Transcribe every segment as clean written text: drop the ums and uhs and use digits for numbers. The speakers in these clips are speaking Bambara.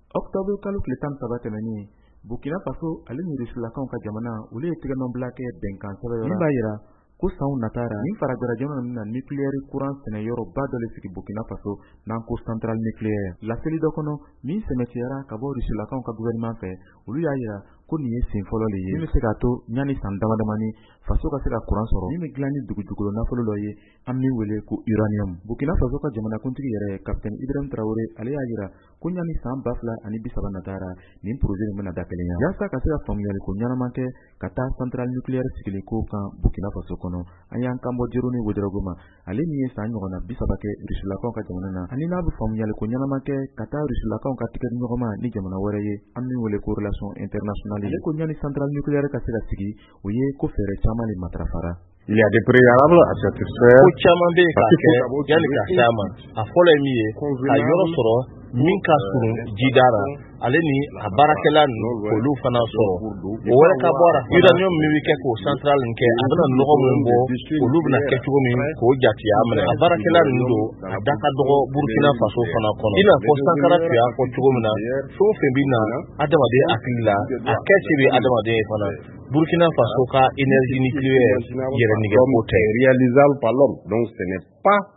Octobre kalo tile 13 tɛmɛnen, Burkina Faso ale ni Rusilakaw ka jamana, olu ye tigɛnɔbila kɛ bɛnkan sɛbɛn min b'a yira ko sanw natara nin farajɛla jamana ninnu na nucléaire courant sɛnɛ yɔrɔba dɔ le sigi Burkina Faso, n'an ko centrale nucléaire. Laseli dɔ kɔnɔ min sɛmɛtiyara ka bɔ Rusilakaw ka gouvernement fɛ, olu y'a yira ko nin ye sen fɔlɔ le ye min bɛ se k'a to ɲani san dama damani faso ka se ka courant sɔrɔ min bɛ dilan ni dugujukolo nafolo dɔ ye, an min wele ko uranium. Burkina Faso ka jamanakuntigi yɛrɛ, capitaine Ibrahim Traoré, ale y'a yira ko ɲani san 2030 natara, nin projet nin bɛna da kelenya yaasa ka se ka faamuyali ko ɲɛnama kɛ ka taa centrale nucléaire sigili ko kan Burkina Faso kɔnɔ. An y'an kan bɔ Jeroni Ouédraogo ma, ale min ye san ɲɔgɔnna 30 kɛ Rusilakaw ka jamana na, ani n'a bɛ faamuyali ko ɲɛnama kɛ ka taa Rusilakaw ka tigɛdiɲɔgɔnma ni jamana wɛrɛ ye, an min wele ko relation internationale. Ale ko ɲani centrale nucléaire ka se ka sigi, o ye ko fɛɛrɛ caman de matarafara. Il y a des préalables à satisfaire. Ko caman bɛ yen k'a kɛ yanni ka se a ma. A fɔlɔ ye min ye, ka yɔrɔ sɔrɔ min ka surun jida la, ale ni a baarakɛla ninnu, k'olu fana sɔrɔ. O wɛrɛ ka bɔ a la, uranium min bɛ kɛ k'o centrale nin kɛ, a bɛna nɔgɔ min bɔ, olu bɛna kɛ cogo min k'o jatiya minɛ. A baarakɛla ninnu don, a da ka dɔgɔ Burkina Faso fana kɔnɔ. I n'a fɔ Sankara tun y'a fɔ cogo min na, fɛn o fɛn bɛ na adamaden hakili la, a kɛ se bɛ adamaden ye fana. Burkina Faso ka énergie nucléaire yɛrɛ nɛgɛ ko tɛ. Réalisable par l'homme. Donc ce n'est pas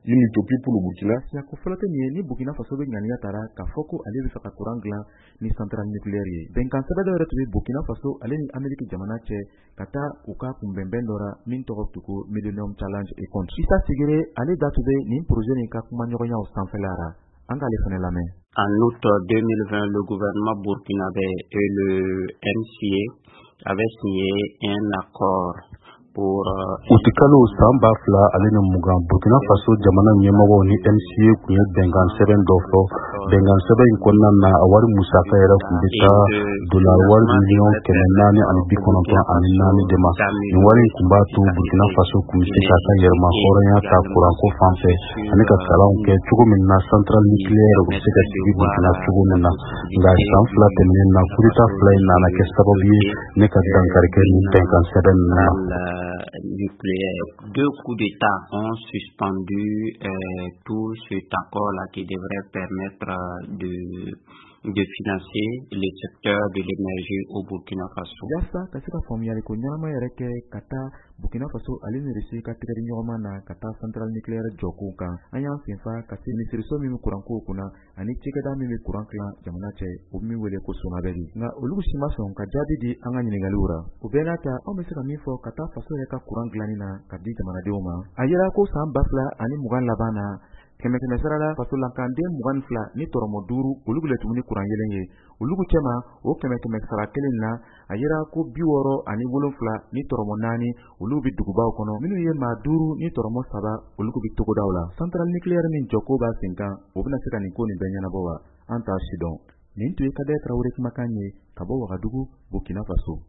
une utopie pour le Burkina. Siyako fɔlɔ tɛ nin ye ni Burkina Faso bɛ ŋaniya tara k'a fɔ ko ale bɛ fɛ ka courant dilan ni centrale nucléaire ye. Bɛnkan sɛbɛn dɔ yɛrɛ tun bɛ Burkina Faso ale ni Amérique jamana cɛ ka taa u ka kunbɛnbɛn dɔ ra min tɔgɔ tun ko Millennium Challenge Economic. Issa Sigire, ale da tun bɛ nin projet nin ka kumaɲɔgɔnyaw sanfɛla ra. An k'ale fana lamɛn. En août 2020, le gouvernement burkinabé et le MCA avaient signé un accord pour Utikalo san 2020, Burkina Faso jamana ɲɛmɔgɔw ni MCA tun ye bɛnkan sɛbɛn dɔ fɔ. Bɛnkan sɛbɛn in kɔnɔna na, a wari musaka yɛrɛ tun bɛ taa dolari wari miliyɔn 494 de ma. Nin wari in tun b'a to Burkina Faso tun bɛ se k'a ka yɛrɛma hɔrɔnya ta kuranko fan fɛ ani ka kalanw kɛ cogo min na, centrale nucléaire u bɛ se ka sigi Burkina cogo min na. Nka san 2 tɛmɛnen na, coup d'état fila in nana kɛ sababu ye ne ka dankari kɛ nin bɛnkan sɛbɛn ninnu na. Nucléaire. Deux coups d'État ont suspendu tout cet accord-là qui devrait permettre de financer le secteur de l'énergie au Burkina Faso. Yaasa ka se ka faamuyali ko ɲɛnama yɛrɛ kɛ ka taa Burkina Faso ale ni Russie ka tigɛdiɲɔgɔnma na ka taa centrale nucléaire jɔkow kan, an y'an senfa ka se minisiriso min bɛ kurankow kunna ani cikɛda min bɛ kuran tilan jamana cɛ, o min wele ko SONABEL. Nka olu si ma sɔn ka jaabi di an ka ɲininkaliw ra. O bɛɛ n'a ta, anw bɛ se ka min fɔ ka taa faso yɛrɛ ka kuran dilanni na ka di jamanadenw ma, a yira ko san 2020 laban na, kɛmɛ kɛmɛ sara la, fasolankanden 22 ni tɔrɔmɔ 5, olu le tun ni kuran yelen ye. Olu cɛma, o kɛmɛ kɛmɛ sara kelen na, a yira ko 67 ni tɔrɔmɔ 4, olu bɛ dugubaw kɔnɔ. Minnu ye maa 5 ni tɔrɔmɔ 3, olu bɛ togodaw la. Centrale nucléaire min jɔko b'a sen kan, o bɛna se ka nin ko nin bɛɛ ɲɛnabɔ wa? An t'a si dɔn. Nin tun ye Kadɛ Tarawele kumakan ye ka bɔ Wagadugu, Burkina Faso.